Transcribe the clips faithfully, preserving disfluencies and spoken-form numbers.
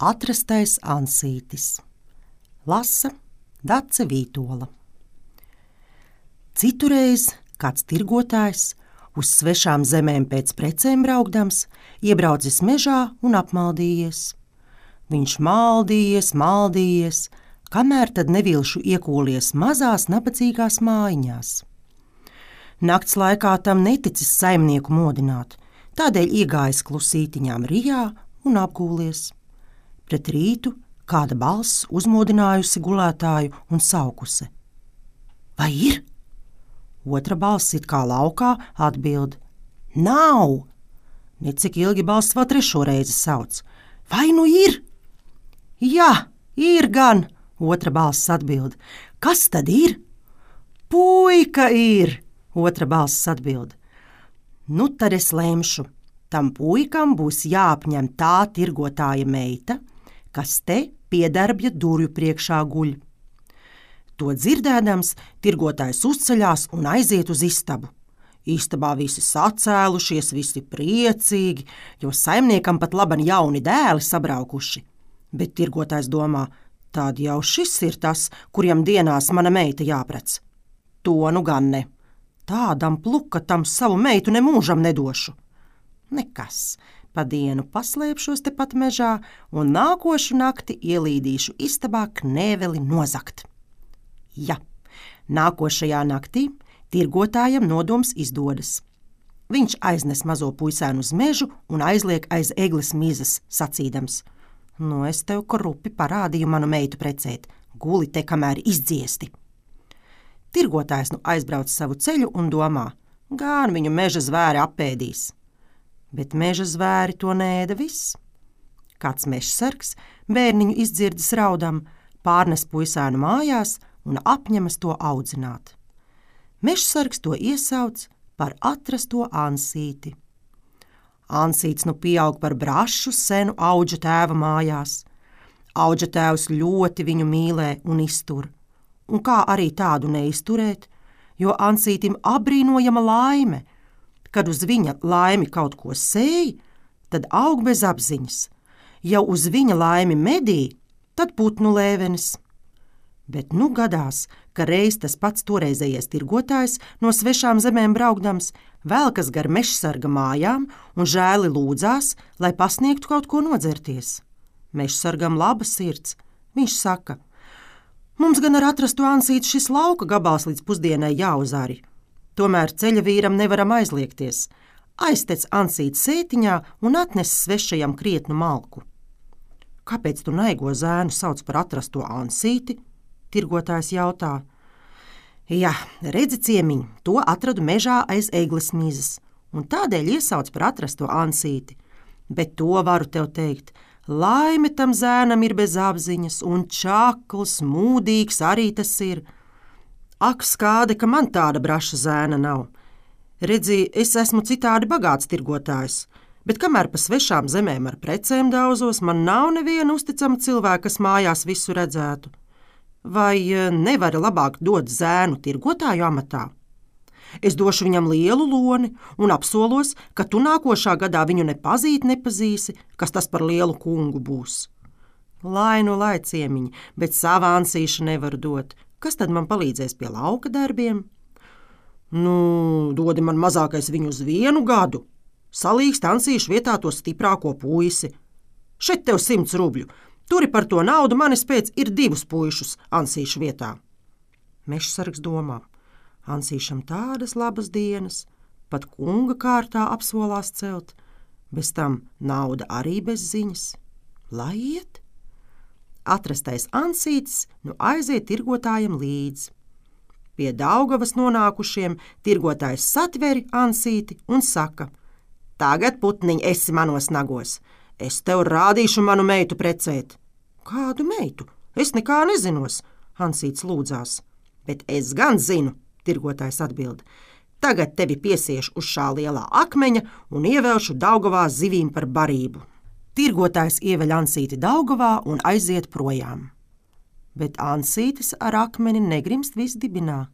Atrastais ansītis. Lasa Dace Vītola. Citureiz kāds tirgotājs uz svešām zemēm pēc precēm braukdams iebraucis mežā un apmaldījies. Viņš maldījies, maldījies, kamēr tad nevilšu iekūlies mazās nabadzīgās mājiņās. Nakts laikā tam neticis saimnieku modināt, tādēļ iegājis klusītiņām rijā un apgūlies. Pret rītu kāda balss uzmodinājusi gulētāju un saukusi: Vai ir? Otra balss it kā laukā atbild: Nav! Necik ilgi balss vēl trešo reizi sauc: Vai nu ir? Jā, ir gan! Otra balss atbild: Kas tad ir? Puika ir! Otra balss atbild: Nu tad es lemšu, tam puikam būs jāapņem tā tirgotāja meita, kas te piedarbja durvju priekšā guļ. To dzirdēdams, tirgotājs uzceļās un aiziet uz istabu. Istabā visi sacēlušies, visi priecīgi, jo saimniekam pat laban jauni dēli sabraukuši. Bet tirgotājs domā, tad jau šis ir tas, kuriem dienās mana meita jāprec. To nu gan ne. Tādam plukatam savu meitu nemūžam nedošu. Nekas. Pa dienu paslēpšos tepat mežā un nākošu nakti ielīdīšu istabā knēveli nozagt. Ja, nākošajā naktī tirgotājam nodoms izdodas. Viņš aiznes mazo puisēnu uz mežu un aizliek aiz egles mizas, sacīdams: Nu, es tev krupi parādīju manu meitu precēt, guli te kamēr izdziesti. Tirgotājs nu aizbrauc savu ceļu un domā, gan viņu meža zvēri apēdīs. Bet meža zvēri to neēda viss. Kāds mežsargs bērniņu izdzirdis raudam, pārnes puisēnu mājās un apņemas to audzināt. Mežsargs to iesauc par atrasto ansīti. Ansīts nu pieaug par brašu senu auģa tēva mājās. Auģa tēvs ļoti viņu mīlē un iztur. Un kā arī tādu neizturēt, jo ansītim abrīnojama laime. Kad uz viņa laimi kaut ko sēj, tad aug bez apziņas. Ja uz viņa laimi medī, tad putnu lēvenis. Bet nu gadās, ka reiz tas pats toreizējais tirgotājs no svešām zemēm braukdams velkas gar mežsarga mājām un žēli lūdzās, lai pasniegtu kaut ko nodzerties. Mežsargam laba sirds. Viņš saka: Mums gan ar atrastu ansīti šis lauka gabals līdz pusdienai jāuzari. Tomēr ceļa vīram nevaram aizliegties. Aiztec ansīt sētiņā un atnes svešajam krietnu malku. Kāpēc tu naigo zēnu sauc par atrasto ansīti? Tirgotājs jautā. Jā, redzi ciemiņ, to atradu mežā aiz egles mizas, un tādēļ iesauc par atrasto ansīti. Bet to varu tev teikt, laime tam zēnam ir bez apziņas, un čakls, mūdīgs arī tas ir. Ak, skāde, ka man tāda braša zēna nav. Redzi, es esmu citādi bagāts tirgotājs, bet kamēr pa svešām zemēm ar precēm daudzos, man nav neviena uzticama cilvēka, kas mājās visu redzētu. Vai nevari labāk dot zēnu tirgotāju amatā? Es došu viņam lielu loni un apsolos, ka tu nākošā gadā viņu nepazīt nepazīsi, kas tas par lielu kungu būs. Lai nu lai ciemiņi, bet savu ansīšu nevaru dot. Kas tad man palīdzēs pie lauka darbiem? Nu, dodi man mazākais viņu uz vienu gadu. Salīgst ansīšu vietā to stiprāko puisi. Šeit tev simts rubļu. Turi par to naudu manis pēc ir divus puišus ansīšu vietā. Mežsargs domā. Ansīšam tādas labas dienas, pat kunga kārtā apsolās celt. Bez tam nauda arī bez ziņas. Lai iet. Atrastais ansītis nu aiziet tirgotājam līdz. Pie Daugavas nonākušiem tirgotājs satveri ansīti un saka: Tagad, putniņ, esi manos nagos. Es tev rādīšu manu meitu precēt. Kādu meitu? Es nekā nezinos, ansīts lūdzās. Bet es gan zinu, tirgotājs atbild. Tagad tevi piesiešu uz šā lielā akmeņa un ievelšu Daugavā zivīm par barību. Tirgotājs ieveļ ansīti Daugavā un aiziet projām. Bet ansītis ar akmeni negrimst visdibinā.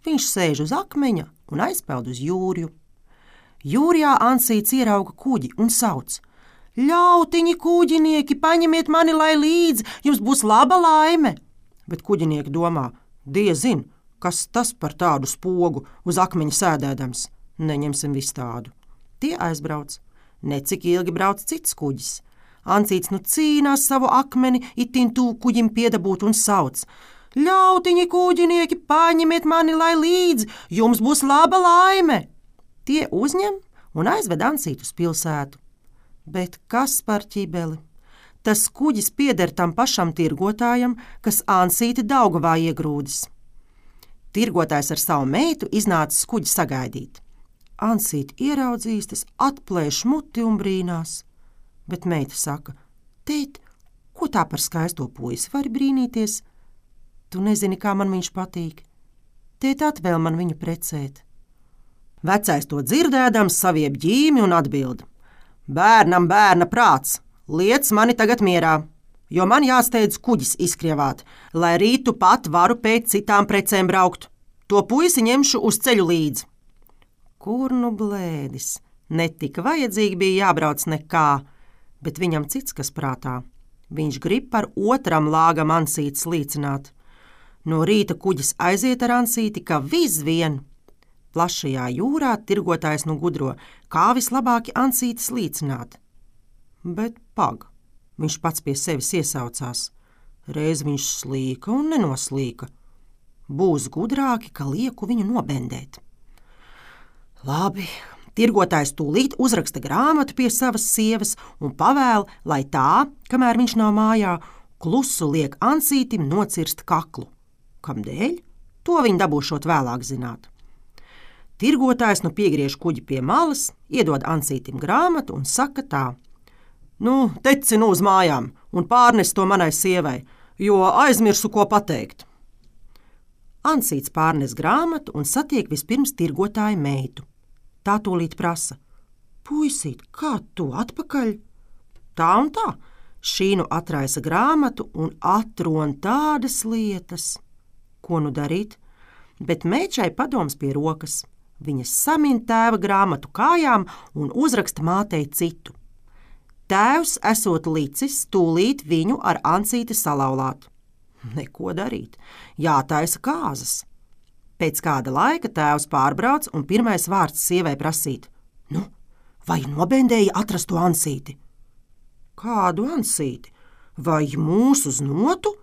Viņš sēž uz akmeņa un aizpeld uz jūrju. Jūrijā ansīts ierauga kuģi un sauc: Ļautiņi, kuģinieki, paņemiet mani, lai līdzi, jums būs laba laime. Bet kuģinieki domā, diezin, kas tas par tādu spogu uz akmeņa sēdēdams. Neņemsim visu tādu. Tie aizbrauc. Necik ilgi brauc cits kuģis. Ancīts nu cīnās savu akmeni, itin tū kuģim piedabūt un sauc. Ļautiņi, kuģinieki, paņemiet mani, lai līdzi, jums būs laba laime. Tie uzņem un aizved Ancītu uz pilsētu. Bet kas par ķibeli? Tas kuģis pieder tam pašam tirgotājam, kas Ancīti Daugavā iegrūdis. Tirgotājs ar savu meitu iznācis kuģi sagaidīt. Ancīti ieraudzījis, tas atplēš muti un brīnās. Bet meita saka, tēt, ko tā par skaisto puisi vari brīnīties? Tu nezini, kā man viņš patīk. Tēt, atvēl man viņu precēt. Vecais to dzirdēdams savieb ģīmi un atbild. Bērnam bērna prāts, liec mani tagad mierā, jo man jāsteidz kuģis izkrievāt, lai rītu pat varu pēc citām precēm braukt. To puisi ņemšu uz ceļu līdzi. Kur nu blēdis? Netika vajadzīgi bija jābrauc nekā, bet viņam cits kas prātā. Viņš grib par otram lāgam Ancītis līcināt. No rīta kuģis aiziet ar Ancīti, ka visvien. Plašajā jūrā tirgotājs nu gudro, kā vislabāki Ancītis līcināt. Bet pag, viņš pats pie sevis iesaucās. Reiz viņš slīka un nenoslīka. Būs gudrāki, ka lieku viņu nobendēt. Labi, tirgotājs tūlīt uzraksta grāmatu pie savas sievas un pavēl, lai tā, kamēr viņš nav mājā, klusu liek Ancītim nocirst kaklu. Kamdēļ? To viņi dabūšot vēlāk zināt. Tirgotājs nu piegriež kuģi pie malas, iedod Ancītim grāmatu un saka tā. Nu, teci nu uz mājām un pārnes to manai sievai, jo aizmirsu, ko pateikt. Ancīts pārnes grāmatu un satiek vispirms tirgotāja meitu. Tā tūlīt prasa. Puisīt, kā tu atpakaļ? Tā un tā. Šī nu atraisa grāmatu un atron tādas lietas. Ko nu darīt? Bet meičai padoms pie rokas. Viņa samin tēva grāmatu kājām un uzraksta mātei citu. Tēvs esot licis tūlīt viņu ar Ancīti salauzāt. Neko darīt, jātaisa kāzas. Pēc kāda laika tēvs pārbrauc un pirmais vārds sievai prasīt. Nu, vai nobendēja atrast to Ancīti? Kādu Ancīti? Vai mūsu uz notu?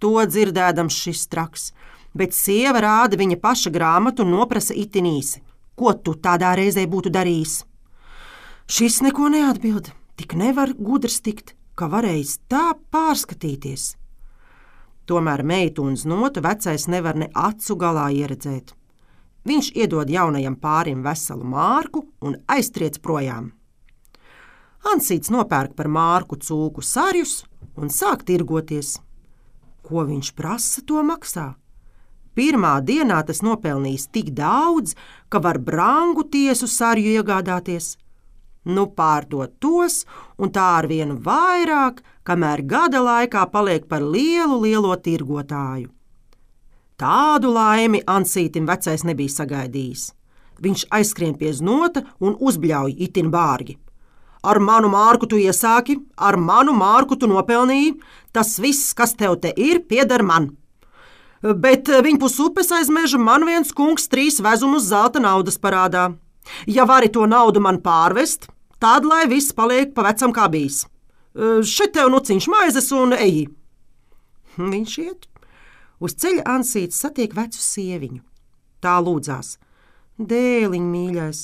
To dzirdēdams šis traks, bet sieva rāda viņa paša grāmatu un noprasa itin īsi. Ko tu tādā reizē būtu darījis? Šis neko neatbild, tik nevar gudrs tikt, ka varējis tā pārskatīties. Tomēr meitu un znotu vecais nevar ne acu galā ieredzēt. Viņš iedod jaunajam pārim veselu mārku un aiztriec projām. Ancīts nopērk par mārku cūku sarjus un sāk tirgoties. Ko viņš prasa, to maksā. Pirmā dienā tas nopelnījis tik daudz, ka var brangu tiesu sarju iegādāties. Nu pārdot tos, un tā ar vienu vairāk, kamēr gada laikā paliek par lielu, lielo tirgotāju. Tādu laimi Ancītim vecais nebija sagaidījis. Viņš aizskrien pie znota un uzbļauj itin bārgi. Ar manu mārku tu iesāki, ar manu mārku tu nopelnīji, tas viss, kas tev te ir, pieder man. Bet viņpus upes aiz meža man viens kungs trīs vezumus zelta naudas parādā. Ja vari to naudu man pārvest, tad lai viss paliek pa vecam kā bijis. Šeit tev nuciņš maizes un eji. Viņš iet. Uz ceļa Ancīts satiek vecu sieviņu. Tā lūdzās. Dēliņ, mīļais,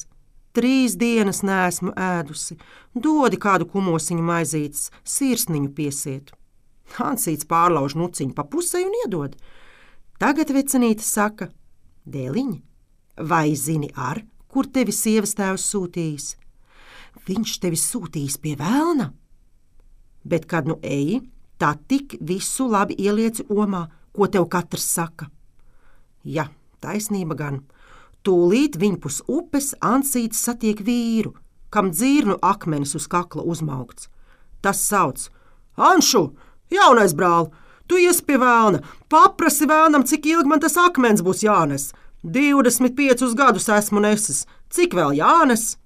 trīs dienas neesmu ēdusi. Dodi kādu kumosiņu maizītes, sirsniņu piesiet. Ancīts pārlauž nuciņu pa pusei un iedod. Tagad vecenīte saka, dēliņ, vai zini ar, kur tevi sievas tēvs sūtījis? Viņš tevi sūtījis pie velna. Bet, kad nu eji, tā tik visu labi ielieci omā, ko tev katrs saka. Ja, taisnība gan. Tūlīt viņpus upes Ancīts satiek vīru, kam dzirnu akmenis uz kakla uzmaukts. Tas sauc, Anšu, jaunais brāl, tu iesi pie velna, paprasi velnam, cik ilgi man tas akmens būs jānes. Divdesmit piecus gadus esmu nesis, cik vēl jānes?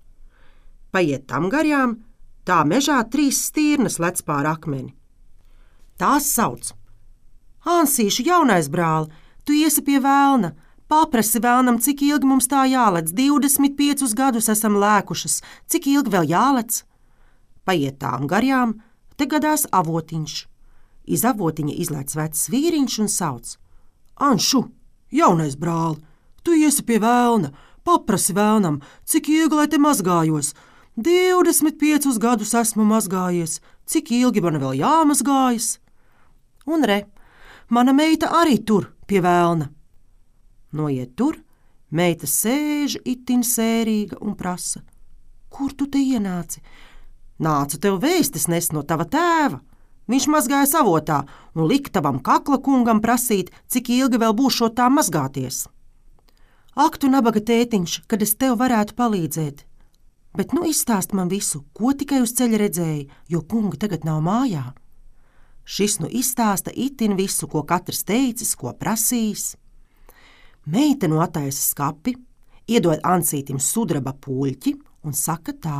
Paiet tam garjām, Tā mežā trīs stirnas lec pār akmeni. Tās sauc: Ansīšu, jaunais brāl, tu iesi pie velna. Paprasi velnam, cik ilgi mums tā jālec. Divdesmit piecus gadus esam lēkušas. Cik ilgi vēl jālec? Paiet tām garjām, te gadās avotiņš. Iz avotiņa izlēc vecs vīriņš un sauc: Anšu, jaunais brāl, tu iesi pie velna. Paprasi velnam, cik ilgi lai te mazgājos. Divdesmit piecus gadus esmu mazgājies. Cik ilgi man vēl jāmazgājas? Un re, mana meita arī tur pie velna. Noiet tur, meita sēž itin sērīga un prasa: Kur tu te ienāci? Nācu tev vēstis nest no tava tēva. Viņš mazgāja savotā un lika tavam kakla kungam prasīt, cik ilgi vēl būšot tā mazgāties. Ak, tu nabaga tētiņš, kad es tev varētu palīdzēt. Bet nu izstāst man visu, ko tikai uz ceļa redzēji, jo kunga tagad nav mājā. Šis nu izstāsta itin visu, ko katrs teicis, ko prasījis. Meita nu attaisa skapi, iedod Ansītim sudraba puļķi un saka tā: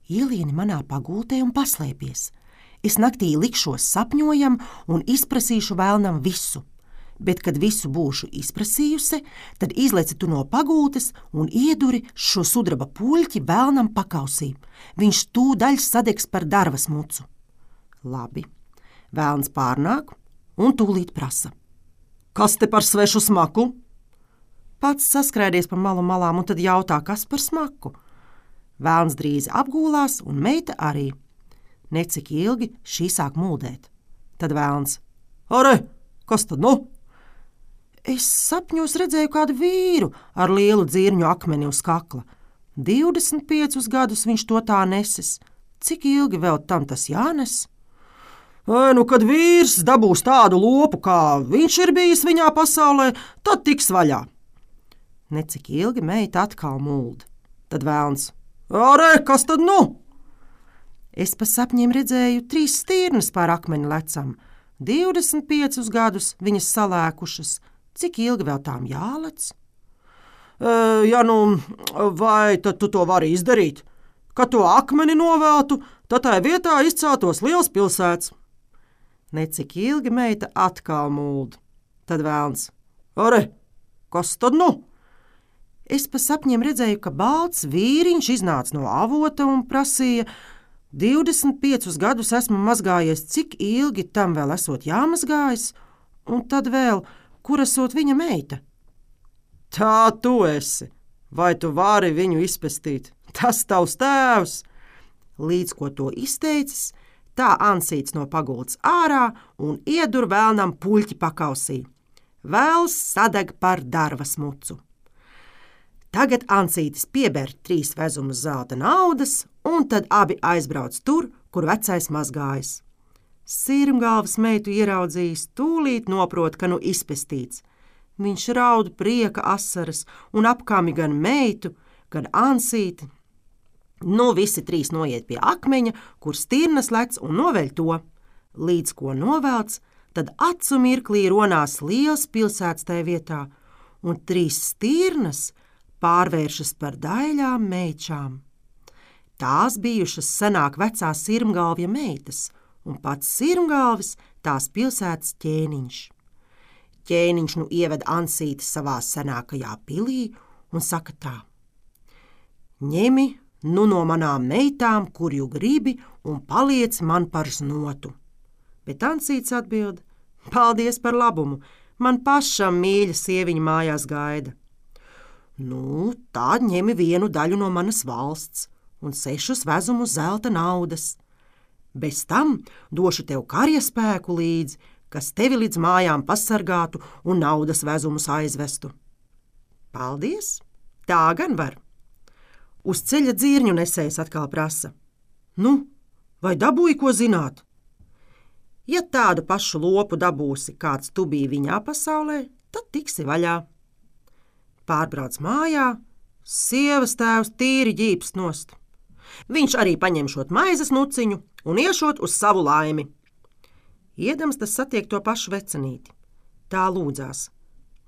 Ielieni manā pagultē un paslēpies. Es naktī likšos sapņojam un izprasīšu velnam visu. Bet, kad visu būšu izprasījusi, tad izleci tu no pagultes un ieduri šo sudraba puļķi velnam pakausī. Viņš tūdaļ sadegs par darvas mucu. Labi, velns pārnāk un tūlīt prasa: Kas te par svešu smaku? Pats saskrēdies pa malu malām un tad jautā, kas par smaku. Velns drīz apgūlās un meita arī. Necik ilgi šī sāk muldēt. Tad velns: Are, kas tad nu? Es sapņos redzēju kādu vīru ar lielu dzirņu akmeni uz kakla. Divdesmit piecus gadus viņš to tā nesis. Cik ilgi vēl tam tas jānes? Ai, nu, kad vīrs dabūs tādu lopu, kā viņš ir bijis viņā pasaulē, tad tiks vaļā. Necik ilgi meita atkal muld. Tad velns: Are, kas tad nu? Es pa sapņiem redzēju trīs stirnas pār akmeni lecam. Divdesmit piecus gadus viņas salēkušas. Cik ilgi vēl tām jālec? E, ja nu, vai tad tu to vari izdarīt? Kad to akmeni noveltu, tad tai vietā izceltos liels pilsēts. Necik ilgi meita atkal muld. Tad velns: Are, kas tad nu? Es pa sapņiem redzēju, ka balts vīriņš iznāca no avota un prasīja: Divdesmit piecus gadus esmu mazgājies, cik ilgi tam vēl esot jāmazgājas? Un tad vēl, kur esot viņa meita? Tā tu esi. Vai tu vari viņu izpestīt? Tas tavs tēvs. Līdz ko to izteicis, tā Ansīts no pagultas ārā un iedur velnam puļķi pakausī. Vēls sadeg par darvas mucu. Tagad Ansītis pieber trīs vezumus zelta naudas, un tad abi aizbrauc tur, kur vecais mazgājas. Sirmgalvas meitu ieraudzījis, tūlīt noprot, ka nu izpestīts. Viņš raud prieka asaras un apkami gan meitu, gan Ansīti. Nu visi trīs noiet pie akmeņa, kur stirnas lec un noveļ to. Līdz ko novelc, tad acu mirklī ronās liels pilsēts tai vietā, un trīs stirnas pārvēršas par daļām meičām. Tās bijušas senāk vecās sirmgalvja meitas, un pats sirmgalvis tās pilsētas ķēniņš. Ķēniņš nu ieved Ansīti savā senākajā pilī un saka tā: Ņemi nu no manām meitām, kur ju gribi, un paliec man par znotu. Bet Ansīts atbild: Paldies par labumu, man pašam mīļa sieviņa mājās gaida. Nu, tā ņemi vienu daļu no manas valsts un sešus vezumus zelta naudas. Bez tam došu tev karjaspēku līdzi, kas tevi līdz mājām pasargātu un naudas vezumus aizvestu. Paldies, tā gan var. Uz ceļa dzirņu nesējs atkal prasa: Nu, vai dabūji ko zināt? Ja tādu pašu lopu dabūsi, kāds tu biji viņā pasaulē, tad tiksi vaļā. Pārbrauc mājā, sievas tēvs tīri ģīpst nost. Viņš arī paņemšot maizes nuciņu un iešot uz savu laimi. Iedams tas satiek to pašu vecenīti. Tā lūdzās: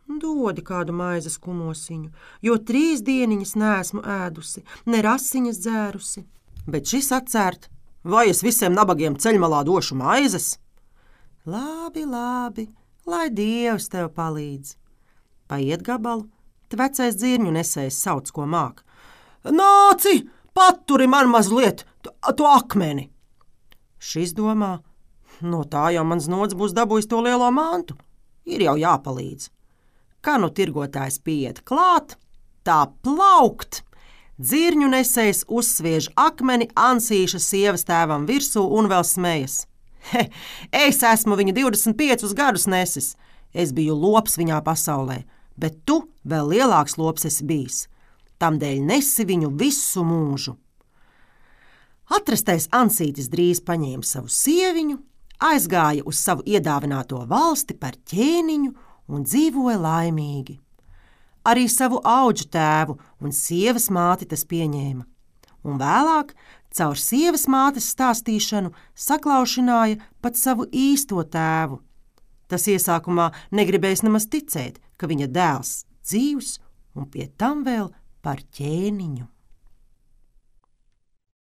Dodi kādu maizes kumosiņu, jo trīs dieniņas neesmu ēdusi, ne rasiņas dzērusi. Bet šis atcērt, vai es visiem nabagiem ceļmalā došu maizes? Labi, labi, lai Dievs tev palīdz. Paiet gabalu, te vecais dzirņu nesējs sauc, ko māk. Nāci, paturi man mazliet to akmeni! Šis domā, no tā jau mans nods būs dabūjis to lielo mantu. Ir jau jāpalīdz. Kā nu tirgotājs pieiet klāt, tā plaukt! Dzirņu nesējs uzsviež akmeni Ansīša sievas tēvam virsū un vēl smejas. He, es esmu viņu divdesmit piecus gadus nesis. Es biju lops viņā pasaulē, bet tu vēl lielāks lops esi bijis. Tamdēļ nesi viņu visu mūžu. Atrastais Ansītis drīz paņēma savu sieviņu, aizgāja uz savu iedāvināto valsti par ķēniņu un dzīvoja laimīgi. Arī savu auģu tēvu un sievas māti tas pieņēma, un vēlāk, caur sievas mātes stāstīšanu, saklaušināja pat savu īsto tēvu. Tas iesākumā negribējis nemaz ticēt, ka viņa dēls dzīvs un pie tam vēl par ķēniņu.